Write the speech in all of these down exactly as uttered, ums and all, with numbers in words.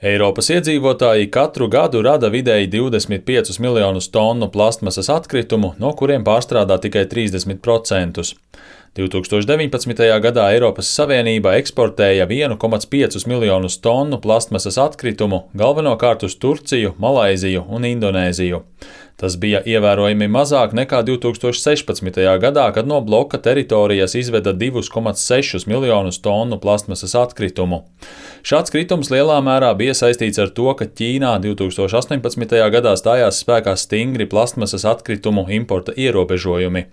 Eiropas iedzīvotāji katru gadu rada vidēji divdesmit piecus miljonus tonu plastmasas atkritumu, no kuriem pārstrādā tikai trīsdesmit procentus. divs tūkstoši deviņpadsmitajā gadā Eiropas Savienība eksportēja vienu komats piecus miljonus tonu plastmasas atkritumu, galvenokārt uz Turciju, Malaiziju un Indonēziju. Tas bija ievērojami mazāk nekā divs tūkstoši sešpadsmitajā gadā, kad no bloka teritorijas izveda divus komats sešus miljonus tonu plastmasas atkritumu. Šāds kritums lielā mērā bija saistīts ar to, ka Ķīnā divs tūkstoši astoņpadsmitajā gadā stājās spēkā stingri plastmasas atkritumu importa ierobežojumi.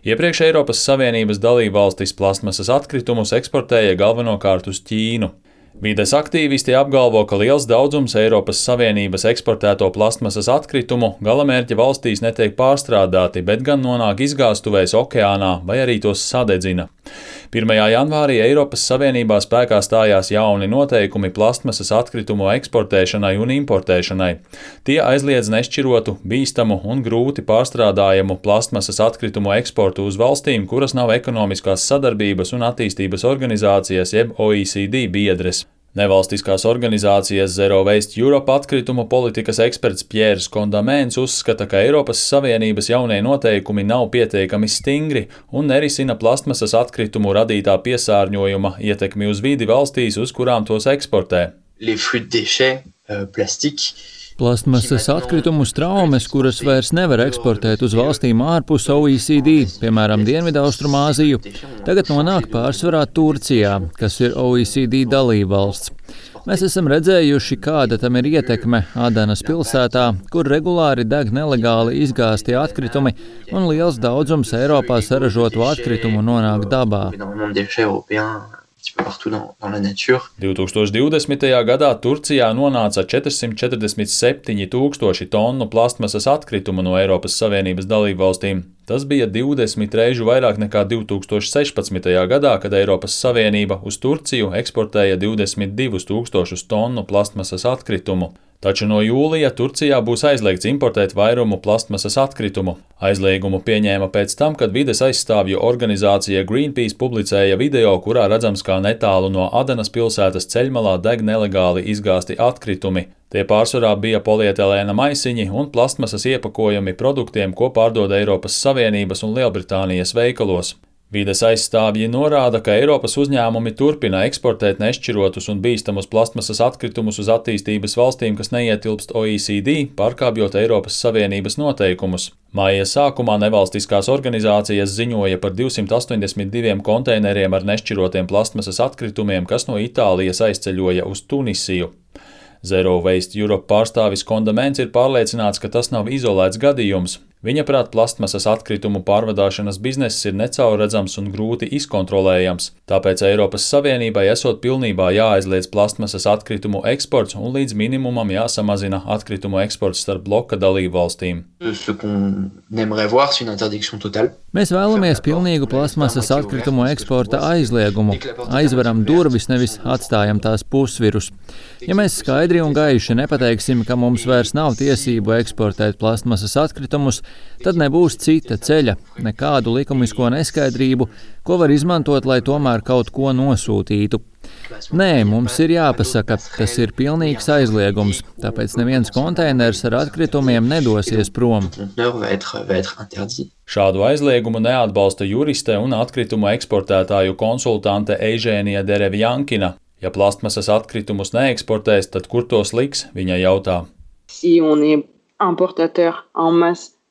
Iepriekš Eiropas Savienības dalībvalstis plastmasas atkritumus eksportēja galvenokārt uz Ķīnu. Vides aktīvisti apgalvo, ka liels daudzums Eiropas Savienības eksportēto plastmasas atkritumu galamērķa valstīs netiek pārstrādāti, bet gan nonāk izgāstuvēs okeānā vai arī tos sadedzina. pirmajā janvārī Eiropas Savienībā spēkā stājās jauni noteikumi plastmasas atkritumu eksportēšanai un importēšanai. Tie aizliedz nešķirotu, bīstamu un grūti pārstrādājamu plastmasas atkritumu eksportu uz valstīm, kuras nav ekonomiskās sadarbības un attīstības organizācijas jeb O E C D biedres. Nevalstiskās organizācijas Zero Waste Europe atkritumu politikas eksperts Pjērs Kondamēns uzskata, ka Eiropas Savienības jaunie noteikumi nav pietiekami stingri un nerisina plastmasas atkritumu radītā piesārņojuma ietekmi uz vidi valstīs, uz kurām tos eksportē. Plastmasas atkritumu traumes, kuras vairs nevar eksportēt uz valstīm ārpus O E C D, piemēram, Dienvidaustrumāziju, tagad nonāk pārsvarā Turcijā, kas ir O E C D dalībvalsts. Mēs esam redzējuši, kāda tam ir ietekme Adanas pilsētā, kur regulāri deg nelegāli izgāzti atkritumi un liels daudzums Eiropā saražotu atkritumu nonāk dabā. divs tūkstoši divdesmitajā gadā Turcijā nonāca četrsimt četrdesmit septiņi tūkstoši tonu plastmasas atkritumu no Eiropas Savienības dalībvalstīm. Tas bija divdesmit reižu vairāk nekā divs tūkstoši sešpadsmitajā gadā, kad Eiropas Savienība uz Turciju eksportēja divdesmit divus tūkstošus tonu plastmasas atkritumu. Taču no jūlija Turcijā būs aizliegts importēt vairumu plastmasas atkritumu. Aizliegumu pieņēma pēc tam, kad vides aizstāvju organizācija Greenpeace publicēja video, kurā redzams, kā netālu no Adanas pilsētas ceļmalā deg nelegāli izgāsti atkritumi. Tie pārsvarā bija polietilēna maisiņi un plastmasas iepakojumi produktiem, ko pārdod Eiropas Savienības un Lielbritānijas veikalos. Vides aizstāvji norāda, ka Eiropas uzņēmumi turpina eksportēt nešķirotus un bīstamus plastmasas atkritumus uz attīstības valstīm, kas neietilpst O E C D, pārkāpjot Eiropas Savienības noteikumus. Maija sākumā nevalstiskās organizācijas ziņoja par divsimt astoņdesmit diviem konteineriem ar nešķirotiem plastmasas atkritumiem, kas no Itālijas aizceļoja uz Tunisiju. Zero Waste Europe pārstāvis Kondamēns ir pārliecināts, ka tas nav izolēts gadījums. Viņaprāt, plastmasas atkritumu pārvadāšanas bizness ir necaurredzams un grūti izkontrolējams, tāpēc Eiropas Savienībai esot pilnībā jāaizliedz plastmasas atkritumu eksports un līdz minimumam jāsamazina atkritumu eksports starp bloka dalībvalstīm. Mēs vēlamies pilnīgu plastmasas atkritumu eksporta aizliegumu. Aizveram durvis, nevis atstājam tās pusvirus. Ja mēs skaidri un gaiši nepateiksim, ka mums vairs nav tiesību eksportēt plastmasas atkritumus, tad nebūs cita ceļa, nekādu likumisko neskaidrību, ko var izmantot, lai tomēr kaut ko nosūtītu. Nē, mums ir jāpasaka, tas ir pilnīgs aizliegums, tāpēc neviens konteiners ar atkritumiem nedosies prom. Šādu aizliegumu neatbalsta juriste un atkritumu eksportētāju konsultante Eižēnija Derevjankina. Ja plastmasas atkritumus neeksportēs, tad kur tos liks, viņa jautā.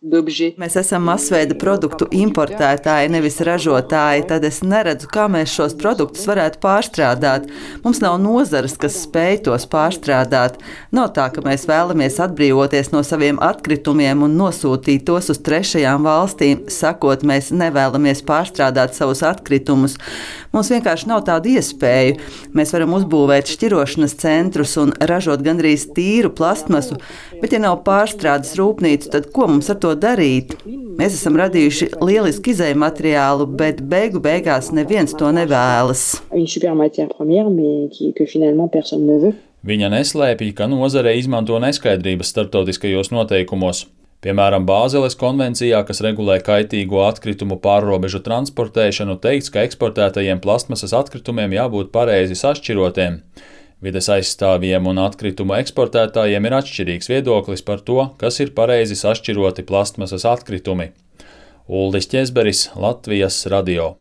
Mēs esam masveida produktu importētāji, nevis ražotāji, tad es neredzu, kā mēs šos produktus varētu pārstrādāt. Mums nav nozares, kas spēj tos pārstrādāt. Nav tā, ka mēs vēlamies atbrīvoties no saviem atkritumiem un nosūtīt tos uz trešajām valstīm, sakot, mēs nevēlamies pārstrādāt savus atkritumus. Mums vienkārši nav tādu iespēju. Mēs varam uzbūvēt šķirošanas centrus un ražot gandrīz tīru plastmasu, bet ja nav pārstrādes rūpnīcu, tad ko mums ar to darīt? Mēs esam radījuši lielisku izēju materiālu, bet beigu beigās neviens to nevēlas. Viņa neslēpj, ka nozare izmanto neskaidrības starptautiskajos noteikumos. Piemēram, Bāzeles konvencijā, kas regulē kaitīgo atkritumu pārrobežu transportēšanu, teikts, ka eksportētajiem plastmasas atkritumiem jābūt pareizi sašķirotiem. Vides aizstāvjiem un atkritumu eksportētājiem ir atšķirīgs viedoklis par to, kas ir pareizi sašķiroti plastmasas atkritumi. Uldis Ķezberis, Latvijas radio.